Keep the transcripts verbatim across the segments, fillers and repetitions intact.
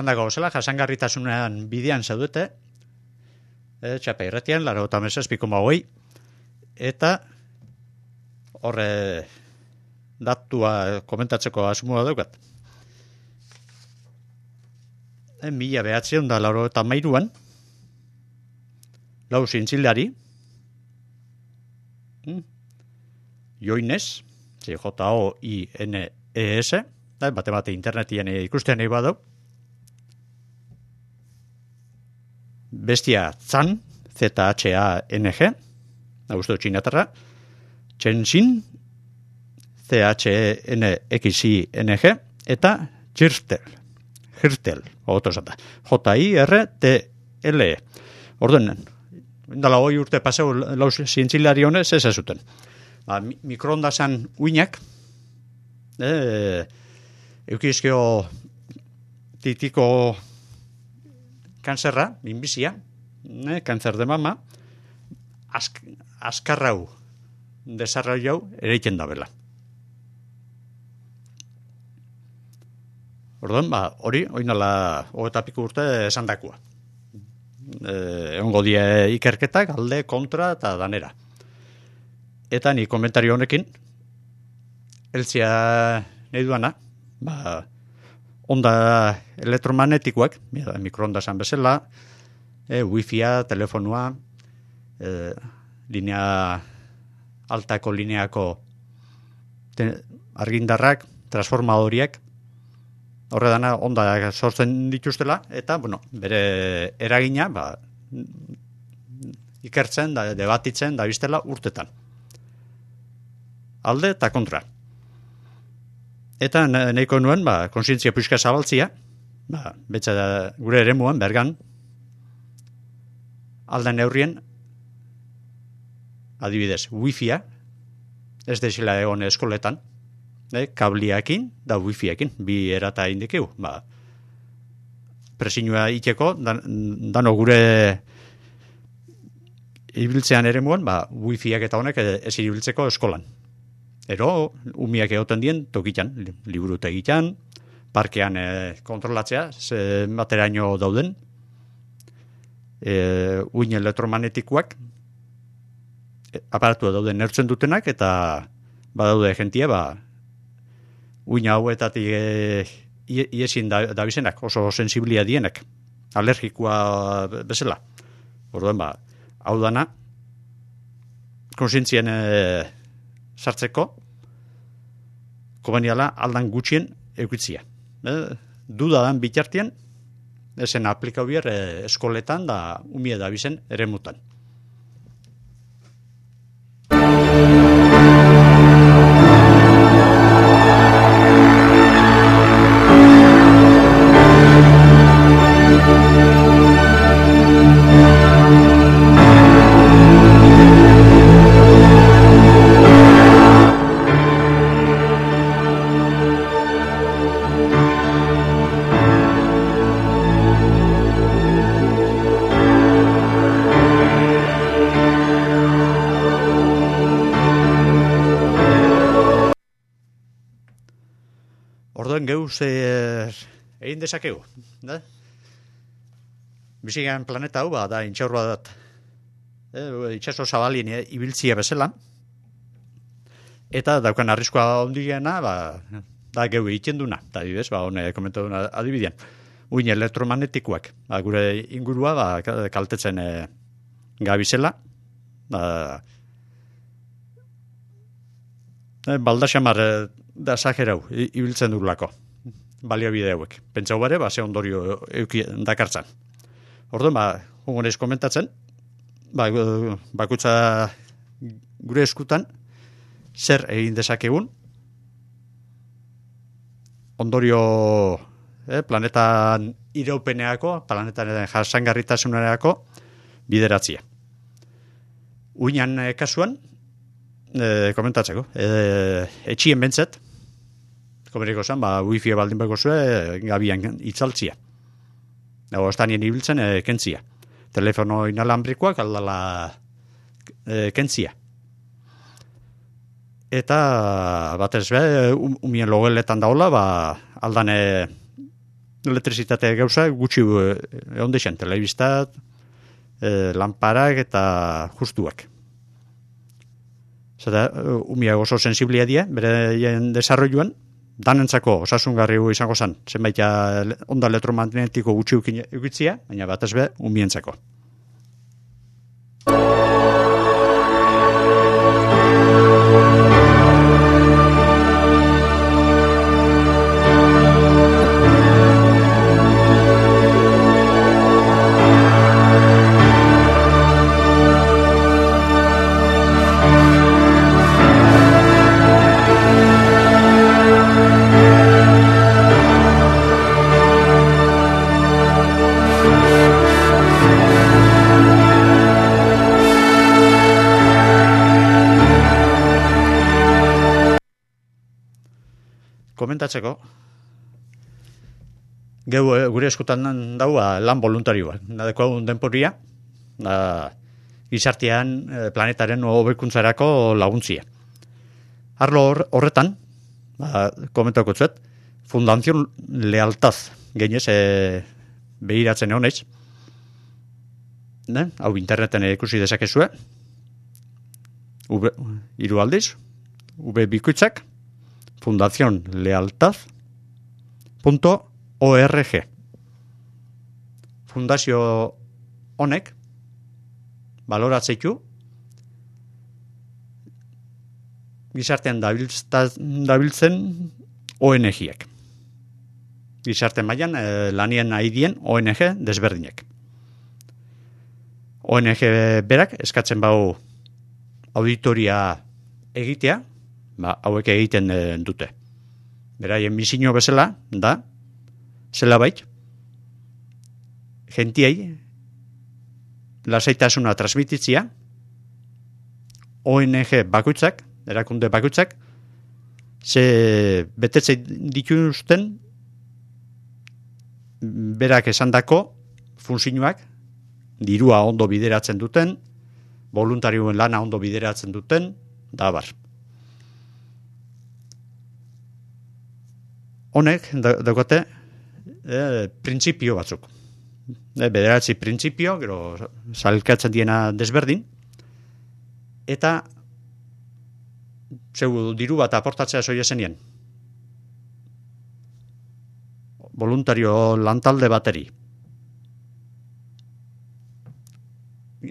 Zan dago zela, jasangarritasunean bidean zaudete, e, txapa irratian, laro eta mesazpiko magoi, eta horre datua komentatzeko asmoa daukat. E, mila behatzion da laro eta mairuan, lau zintzilari, hmm? Joines, J O I N E S, bate bate internetien ikustean nahi badau, Bestia Zan, Z H A N G, Augusto Txinatarra, Txenxin, C H E N X I N G, eta Jirtel, Jirtel, otosata, J I R T L E. Orduen, indala hoi urte paseu lauz zientzilari honez ez ezuten. Ba, mikroondasan uinak, eh, eukizkio titiko kanzerra, minbizia, eh, kanzer de mama, ask, askarrau desarrollau ereiken da bela. Orduan, ba, hori, oinala hogeta piko urte esan dakua. Eh, egongo die ikerketak, alde, kontra eta danera. Eta ni komentario honekin, eltzia nahi duana, ba, onda elektromagnetikoak, mikroondasan bezala, e, wifia, telefonua, e, linea, altako lineako te, argindarrak, transformadoriak, horre dana onda sortzen dituztela, eta, bueno, bere eragina, ba, ikertzen, da, debatitzen, da biztela urtetan. Alde eta kontra. Eta nahiko nuen, ba, konsientzia puxka zabaltzia, ba, betza da, gure eremuan, bergan, alda neurrien, adibidez, wifia, ez desila egon eskoletan, eh, kabliakin da wifiakin, bi erata indikeu, ba, presinua iteko, dan, dano gure ibiltzean eremuan, ba, wifiak eta honek ez ibiltzeko eskolan. Ero, umiak egoten dien, tokitan, liburu tegitan, parkean e, kontrolatzea, ze materaino dauden, e, uin elektromagnetikoak, e, aparatua dauden nertzen dutenak, eta badaude jentia, ba, uin hauetatik e, iesin da, da bizenak, oso sensiblia dienak, alergikoa bezala. Orduan, ba, hau dana, konsientzien e, sartzeko, kobaniala aldan gutxien eukitzia. E, dudadan bitartien, esen aplikau bier e, eskoletan da umie da bizen ere mutan. Geuz er, egin dezakegu. Da? Bizigan planeta hau, ba, da, intxaur bat, e, itxaso zabalien e, ibiltzia bezala, eta daukan arriskoa ondiena, ba, da geu egiten duna, da, dibes, ba, hone komentu duna adibidean. Uin elektromagnetikoak, ba, gure ingurua, ba, kaltetzen e, gabizela, ba, e, baldaxamar e, da sajerau, ibiltzen durlako, baliabide hauek. Pentsau bare, ba, ze ondorio euki dakartzan. Orduan, ba, hongonez komentatzen, ba, bakutza gure eskutan, zer egin dezakegun, ondorio eh, planetan iraupeneako, planetan jasangarritasunerako bideratzia. Uinan eh, kasuan, eh, komentatzeko, eh, etxien bentzet, komeriko zen, ba, wifi baldin beko zue, gabian itzaltzia. Dago, estanien ibiltzen, e, kentzia. Telefono inalambrikoak aldala e, kentzia. Eta, batez be, um, umien logeletan daula, ba, aldane elektrizitate gauza gutxi egon deixen, telebistat, e, lanparak eta justuak. Zata, umiak oso sensiblia die, bere desarroiluan, danentzako osasungarri izango zen, zenbait onda elektromagnetiko gutxi ukitzia, baina batez be, umientzako. Komentatzeko, geu gure eskutan daua lan voluntarioa, nadeko hau denporia, da, gizartean planetaren hobekuntzarako laguntzia. Arlo horretan, ba, komentako zuet, Fundación Lealtaz, genez, e, behiratzen egon eiz, ne? Hau interneten ikusi dezakezue, hiru aldiz, V bikoitzak, fundación lealtaz punto org. Fundazio honek baloratzeitu gizartean dabiltzen O N G-ek. Gizarte mailan eh, lanien aidien O N G desberdinek. O N G berak eskatzen bau auditoria egitea, ba, hauek egiten e, dute. Beraien misio bezala, da, zela bait, gentiei, lasaitasuna transmititzia, O N G bakoitzak, erakunde bakoitzak, ze betetzen dituzten, berak esandako funtzioak, dirua ondo bideratzen duten, voluntarioen lana ondo bideratzen duten, da bar. Honek, daukate, e, printzipio batzuk. E, bederatzi printzipio, gero salkatzen diena desberdin, eta zeu diru bat aportatzea zoia zenien. Voluntario lantalde bateri.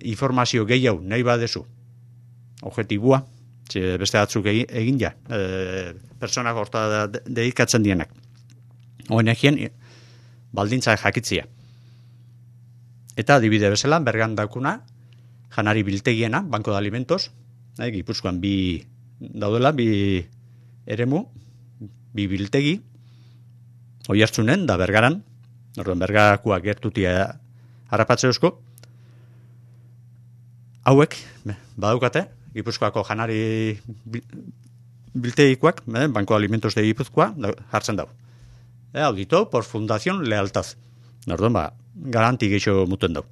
Informazio gehiago nahi badezu. Objetibua. Beste batzuk egin ja, e, personak horta dedikatzen dienak. O N G-en baldintza jakitzia. Eta adibide bezala, bergan daukuna, janari biltegiena, Banco de Alimentos, eh, Gipuzkoan bi daudela, bi eremu, bi biltegi, Oiartzunen, da Bergaran, orduan Bergarakoak gertutia harrapatze eusko, hauek, badaukate, Gipuzkoako janari biltegikoak, eh, Banco de Alimentos de Gipuzkoa, jartzen dau. Eh, audito por Fundación Lealtaz. Orduan, ba, garanti geixo muten dau.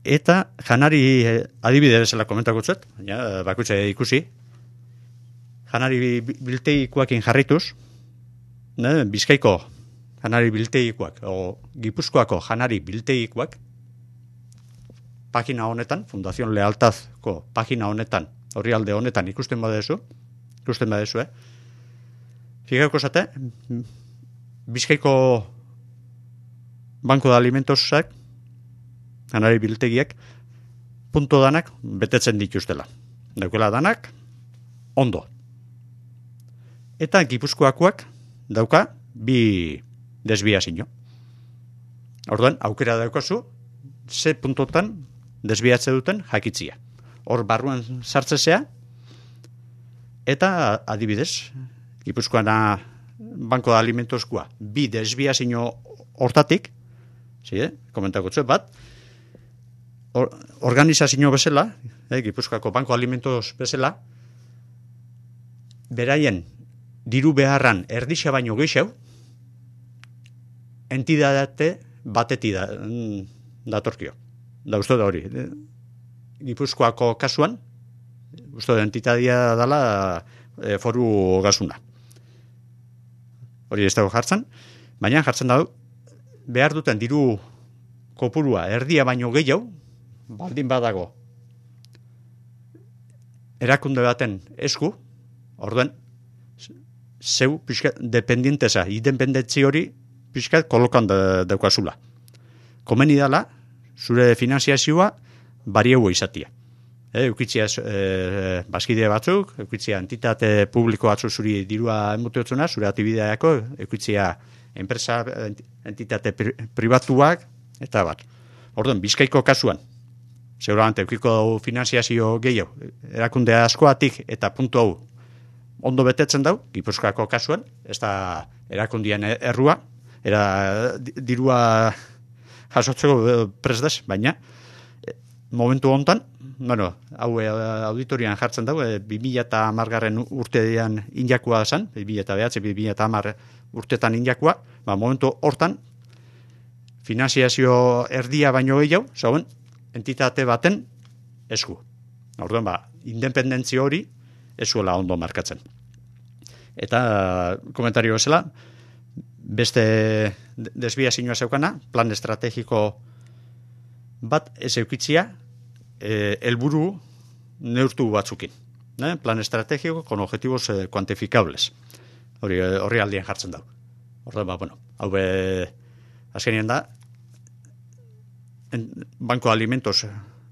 Eta janari eh, adibide bezala komentako zet, ja, bakutxe ikusi, janari biltegikoakin jarrituz, eh, Bizkaiko janari biltegikoak, o Gipuzkoako janari biltegikoak, pagina honetan, Fundación Lealtazko pagina honetan, orrialde honetan ikusten badezu, ikusten badezu, eh? Figauko zate, Bizkaiko Banco de Alimentosak, janari biltegiak, punto danak betetzen dituztela. Daukela danak, ondo. Eta Gipuzkoakoak dauka bi desbiazio. Orduan, aukera daukazu, ze puntotan desbiatze duten jakitzia. Hor barruan sartzezea, eta adibidez, Gipuzkoana Banco de Alimentoskoa bi desbiazio hortatik, zi, eh? komentako txue bat, or, organizazio bezala, eh, Gipuzkoako Banco de Alimentos bezala, beraien diru beharran erdixa baino gehiago, entidate bateti da, datorkio. Da uste da hori. Gipuzkoako kasuan, uste da entitatea dela e, foru gasuna. Hori ez dago jartzen. Baina jartzen da behar duten diru kopurua erdia baino gehiago, baldin badago erakunde baten esku, orduen, zeu pixka dependienteza, independentzi hori pixka kolokan daukazula. Komeni dala, zure finanziazioa bariegu izatia. E, eukitzia e, bazkide batzuk, eukitzia entitate publiko batzu zuri dirua emuteotzuna, zure atibideako, eukitzia enpresa, entitate pri, pribatuak, eta bat. Orduan, Bizkaiko kasuan, seguramente eukiko finanziazio gehiago, erakunde askoatik eta puntu hau ondo betetzen dau, Gipuzkoako kasuan, ez da erakundien errua, era dirua jasotzeko presdez, baina momentu hontan, bueno, hau auditorian jartzen dago, bi mila hamargarren urtean injakua zen, bi mila bederatzi, bi mila hamar urtetan injakua, ba, momentu hortan, finanziazio erdia baino gehiago, zauen, entitate baten esku. Orduan, ba, independentzia hori ezuela ondo markatzen. Eta, komentario bezala, beste desbiazioa zeukana, plan estrategiko bat ez eukitzia, helburu neurtu batzukin. Eh? Plan estrategiko con objetivos eh, cuantificables. Hori, horri aldien jartzen dau. Orduan, ba, bueno, hau be, azkenien da, en, Banko Alimentos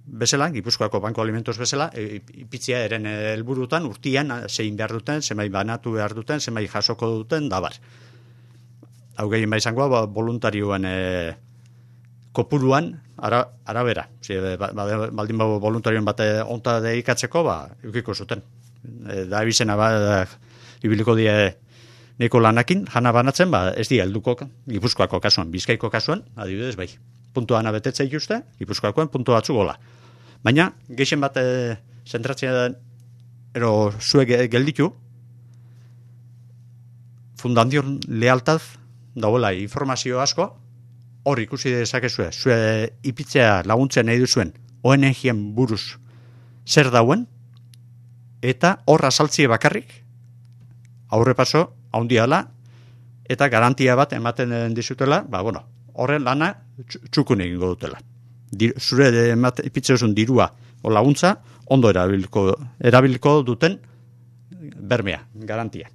bezala, Gipuzkoako Banko Alimentos bezala, ipitzia eren helburutan urtian zein behar duten, zemai banatu behar duten, zemai jasoko duten, dabar. Hau gehien ba izangoa, ba, voluntarioen e, kopuruan ara, arabera. Zi, ba, baldin ba, voluntarioen bate onta deikatzeko, ba, eukiko zuten. E, da ebizena, ba, da, ibiliko die neko lanakin, jana banatzen, ba, ez di helduko Gipuzkoako kasuan, Bizkaiko kasuan, adibidez, bai. Puntuan abetetze ikuste, Gipuzkoakoen puntu batzu gola. Baina, geixen bat e, zentratzea ero zuek gelditu, fundazion lealtaz dauela informazio asko, hor ikusi dezakezue, zue ipitzea laguntzen nahi duzuen O N G-en buruz zer dauen, eta hor azaltzie bakarrik, aurrepaso, haundiala, eta garantia bat ematen dizutela, ba, bueno, horren lana txukun egingo dutela. Dir, zure ipitzeuzun dirua o laguntza, ondo erabiliko, erabiliko duten bermea, garantia.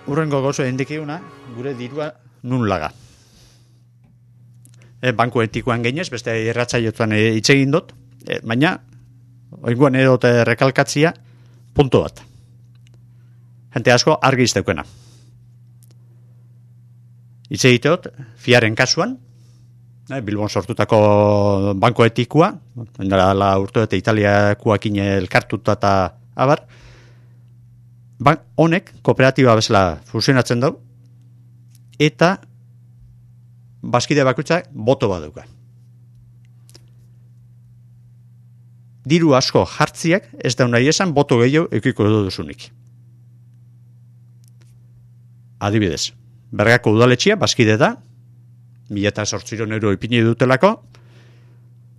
Urrengo gozo indikiuna, gure dirua nun laga. E, banku etikoan gainez, beste irratsaioetan hitz egin dut, e, baina oingoan edot rekalkatzia punto bat. Jente asko argi izteukena. Hitz egiteot, fiaren kasuan, e, Bilbon sortutako banku etikoa, la urte eta Italiakoakin elkartuta eta abar, bank honek kooperatiba bezala fusionatzen dau, eta bazkide bakoitzak boto bat dauka. Diru asko jartziak ez da nahi esan boto gehiago eukiko duzunik. Adibidez, Bergako udaletxea bazkide da, mila eta zortziron euro ipini dutelako,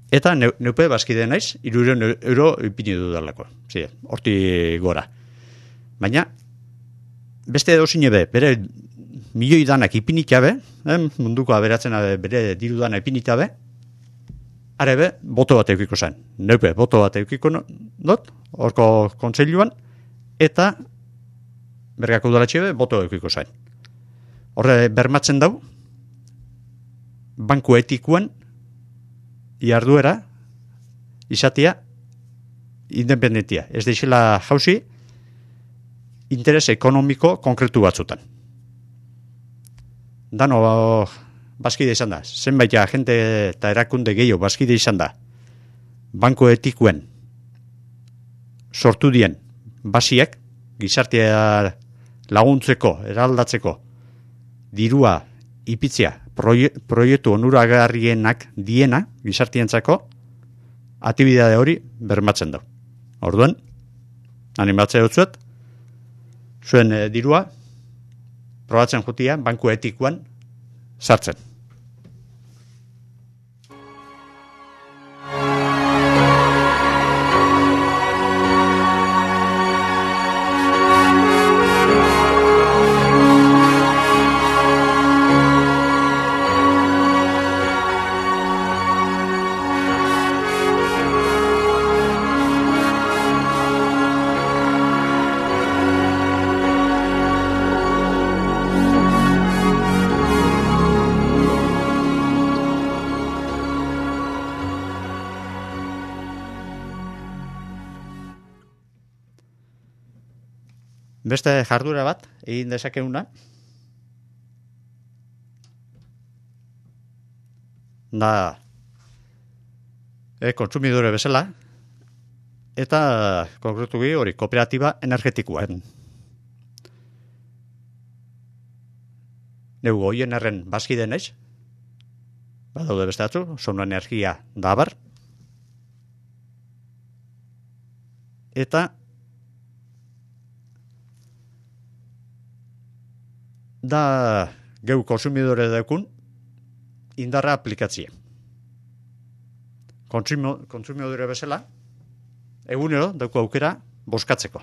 eta neupe bazkide naiz, iruron euro ipini dutelako. Zide, horti gora. Baina, beste edozine be, bere milioi danak ipinitabe, eh, munduko aberatzen bere diru dana ipinitabe, arebe, boto bat eukiko zen. Neupe, boto bat eukiko dut, horko kontseiluan, eta Bergako udaletxe be, boto eukiko zen. Horre, bermatzen dau, banku etikuan, iarduera, izatea, independentia. Ez deixela jauzi, interes ekonomiko konkretu batzutan. Dano bazkide izan da. Zenbait agente eta erakunde gehiago bazkide izan da. Banko etikuen sortu dien basiak, gizartea laguntzeko, eraldatzeko, dirua ipitzia, proie, proiektu onuragarrienak diena, gizartientzako, aktibidade hori bermatzen du. Orduan, animatzea dutzuet, zuen e, dirua, probatzen jutia, banku etikuan sartzen. Beste jardura bat, egin dezakeuna, da e, kontsumidore bezala, eta konkretu bi hori kooperatiba energetikoen. Neu goien erren bazkide naiz, badaude beste atzu, Sonu Energia da abar, eta da geu konsumidore daukun indarra aplikatzia. Kontsumo, konsumidore bezala, egunero dauko aukera boskatzeko.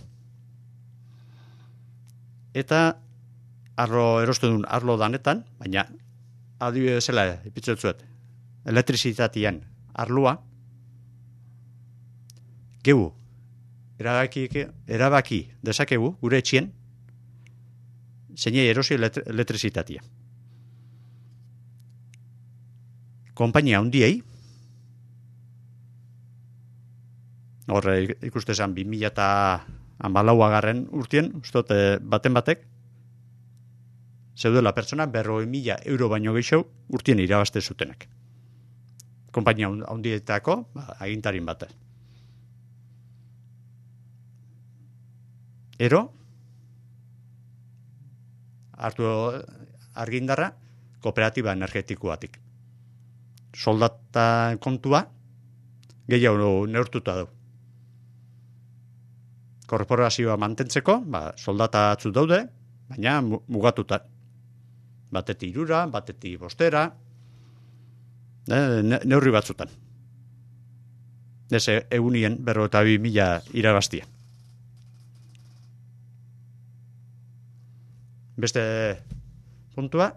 Eta arlo erostu duen arlo danetan, baina adibide bezala ipitzen zuet, elektrizitatean arloa, geu erabaki, erabaki dezakegu gure etxien, zeinei erosi elektrizitatea. Konpainia handiei, horre ikuste zen bi mila hamalaugarren urtien, ustot baten batek, zeudela pertsona berroi mila euro baino gehiago urtien irabazte zutenak. Konpainia handietako, ba, agintarin bat. Ero, hartu argindarra kooperatiba energetikoatik. Soldata kontua gehiago neurtuta du. Korporazioa mantentzeko, ba, soldata atzu daude, baina mugatuta. Batetik irura, batetik bostera, ne, neurri batzutan. Ez egunien berro eta bi mila irabaztia. Beste puntua,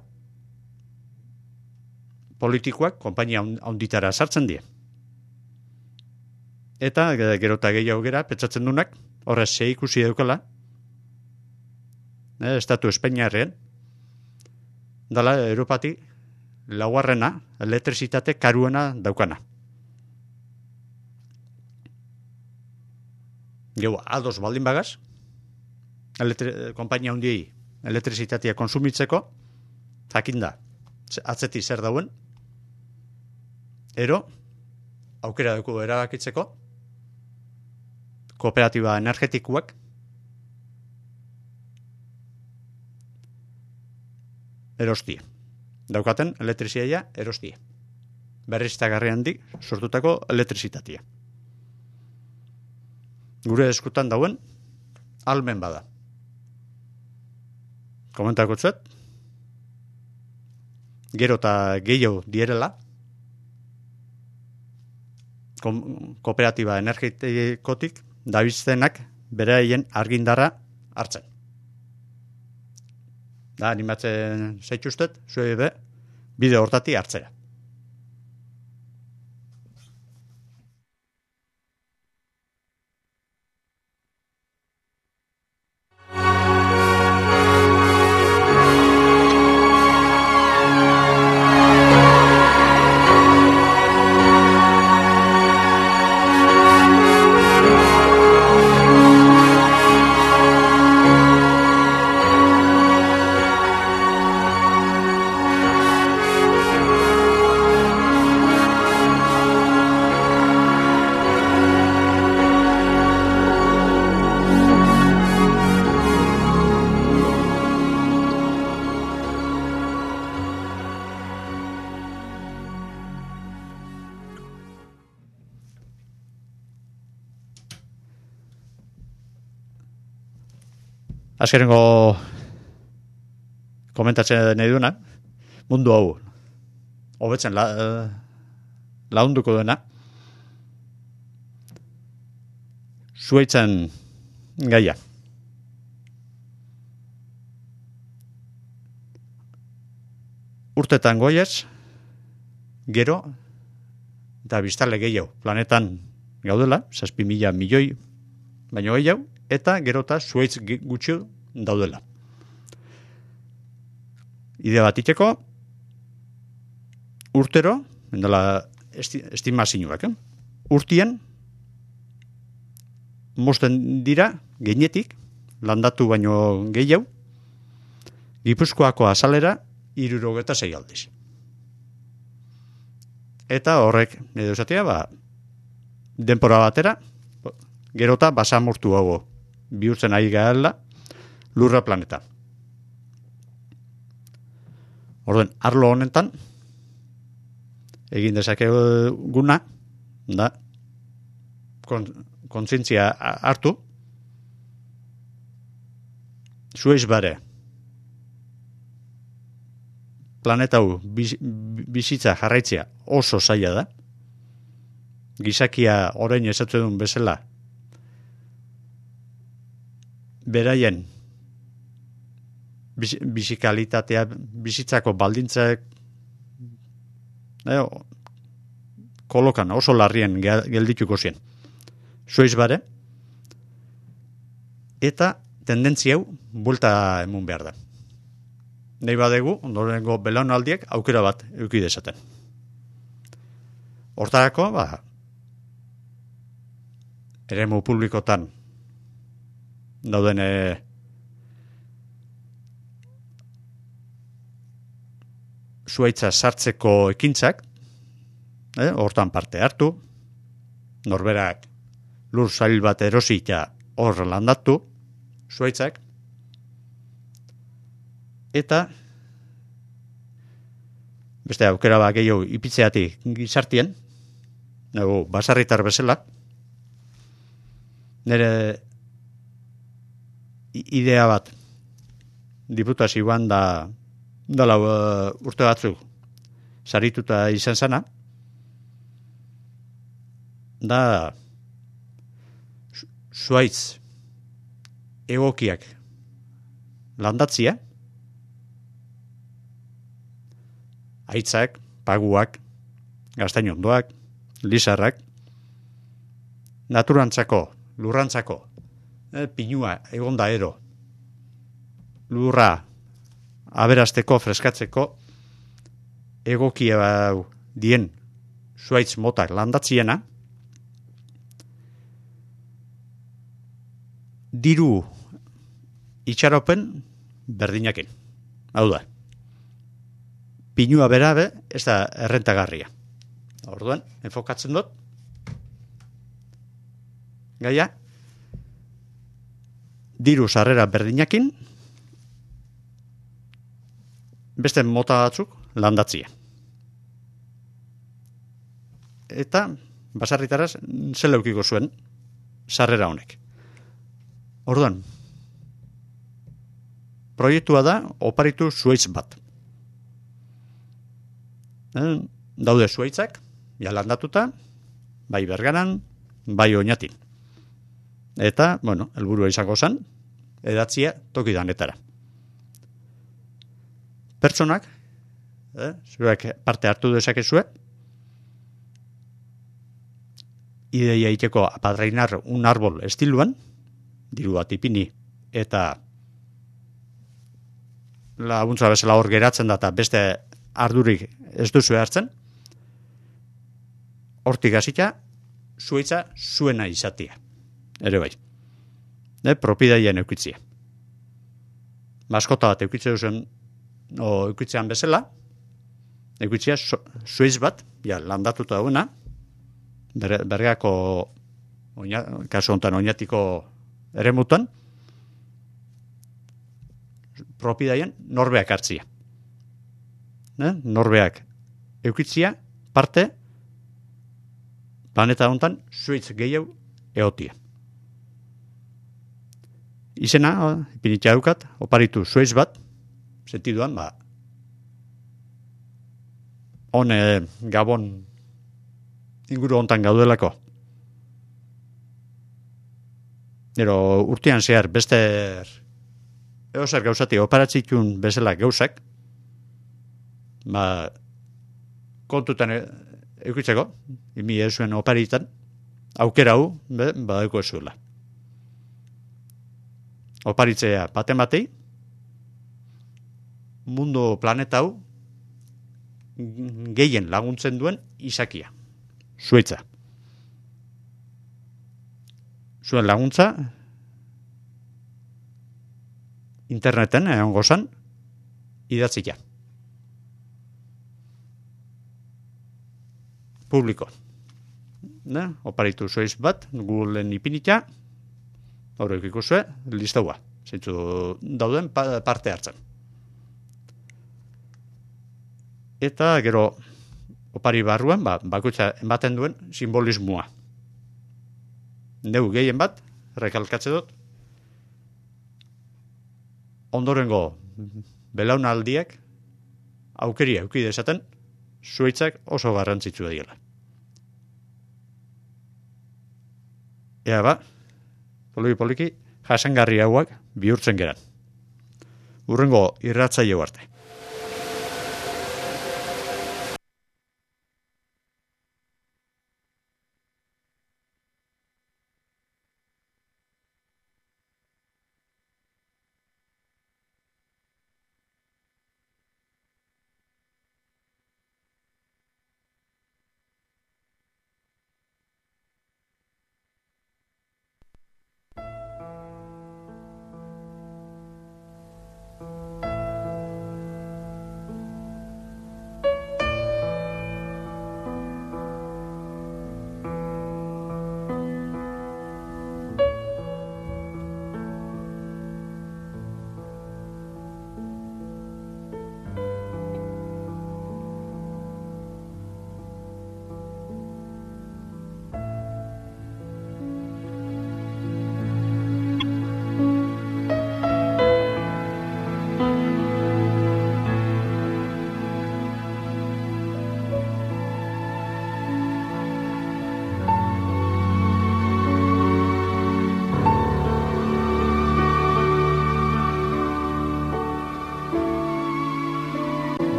politikoak konpainia handitara sartzen die. Eta gero eta gehiago gera, pentsatzen dunak, horrez ze ikusi daukala, eh, estatu Espainiarrean, dala Europati laugarrena elektrizitate karuena daukana. Geu, ados baldin bagaz, elektri- konpainia handiei elektrizitatea konsumitzeko, jakinda, atzeti zer dauen, ero, aukera dugu erabakitzeko, kooperatiba energetikoak, erostie. Daukaten elektrizitatea erostie. Berriztagarri handik sortutako elektrizitatea. Gure eskutan dauen, almen bada. Komentako txuet, gero eta gehiago dierela, kooperatiba energetikotik dabiztenak beraien argindarra hartzen. Da, animatzen zaituztet, zue be, bide hortati hartzera. azkenengo komentatzen nahi duena, mundu hau hobetzen la, launduko duena, zuaitzen gaia. Urtetan goiez, gero, eta biztale gehiago, planetan gaudela, zazpi mila milioi, baino gehiago, eta gero eta zuaitz gutxi daudela. Idea bat iteko, urtero, endala esti, estimazioak, eh? Urtien, mosten dira, geinetik, landatu baino gehiago, Gipuzkoako azalera, hirurogeta sei aldiz. Eta horrek, edo esatea, ba, denpora batera, gerota basamortu hau bihurtzen ari gaela lurra planeta. Orduan, arlo honetan, egin dezakeguna, da, kontzientzia hartu, zueiz bare, planeta hau bizitza jarraitzea oso zaila da, gizakia orain esatzen duen bezala, beraien bizikalitatea, bizitzako baldintzak eh, kolokan oso larrien geldituko zien. Zueiz bare, eta tendentzia hau buelta emun behar da. Nei badegu, ondorengo belaunaldiek aukera bat eduki dezaten. Hortarako, ba, eremu publikotan dauden e, zuaitza sartzeko ekintzak, eh, hortan parte hartu, norberak lur zail bat erosi eta hor landatu, zuaitzak, eta beste aukera ba gehiago ipitzeatik gizartien, nago basarritar bezala, nire idea bat diputazioan da dala uh, urte batzuk sarituta izan zana, da zuaitz egokiak landatzia, aitzak, paguak, gaztainondoak, lizarrak, naturantzako, lurrantzako, eh, pinua, egonda ero, lurra, aberasteko, freskatzeko, egokia dien zuaitz motak landatziena, diru itxaropen berdinakin. Hau da, pinua berabe ez da errentagarria. Orduan, enfokatzen dut, gaia, diru sarrera berdinakin, beste mota batzuk landatzia. Eta, basarritaraz, zela eukiko zuen sarrera honek. Orduan, proiektua da, oparitu zuaitz bat. Daude zuaitzak, ja landatuta, bai Bergaran, bai Oñatin. Eta, bueno, helburua izango zen, edatzia toki danetara. Pertsonak, eh, zuek parte hartu dezakezue, ideia iteko apadreinar un árbol estiluan, diru bat ipini, eta laguntza bezala hor geratzen da, eta beste ardurik ez duzu hartzen, hortik hasita, zuaitza zuena izatea. Ere bai. Ne, propidaien eukitzia. Maskota bat eukitze duzen, o eukitzean bezala, eukitzia zuaiz bat, ja, landatuta dauna, ber, bergako, oina, kasu honetan oinatiko eremutan, propidaien norbeak hartzia. Ne? Norbeak eukitzia, parte, planeta honetan zuaitz gehiago eotia. izena, ipinitia daukat, oparitu zueiz bat, sentiduan, ba, hon e, Gabon inguru hontan gaudelako. Ero urtean zehar beste eozer gauzati oparatzitun bezala gauzak, ba, kontutan eukitzeko, imi ezuen oparitan, aukera hau, be, badauko ezuela. Oparitzea baten batei, mundu planeta hau gehien laguntzen duen izakia. Zuaitza. Zuen laguntza interneten egon gozan idatzia. Publiko. Ne? Oparitu zueiz bat, Googleen ipinitia, horrek ikusue, listaua. Zeintzu dauden parte hartzen. Eta gero opari barruan, ba, bakutza ematen duen simbolismoa. Neu gehien bat, rekalkatze dut, ondorengo belaunaldiak aukeria euki dezaten, zuaitzak oso garrantzitsu diela. Ea ba, poliki-poliki, jasangarri hauak bihurtzen geran. Urrengo irratzaile arte.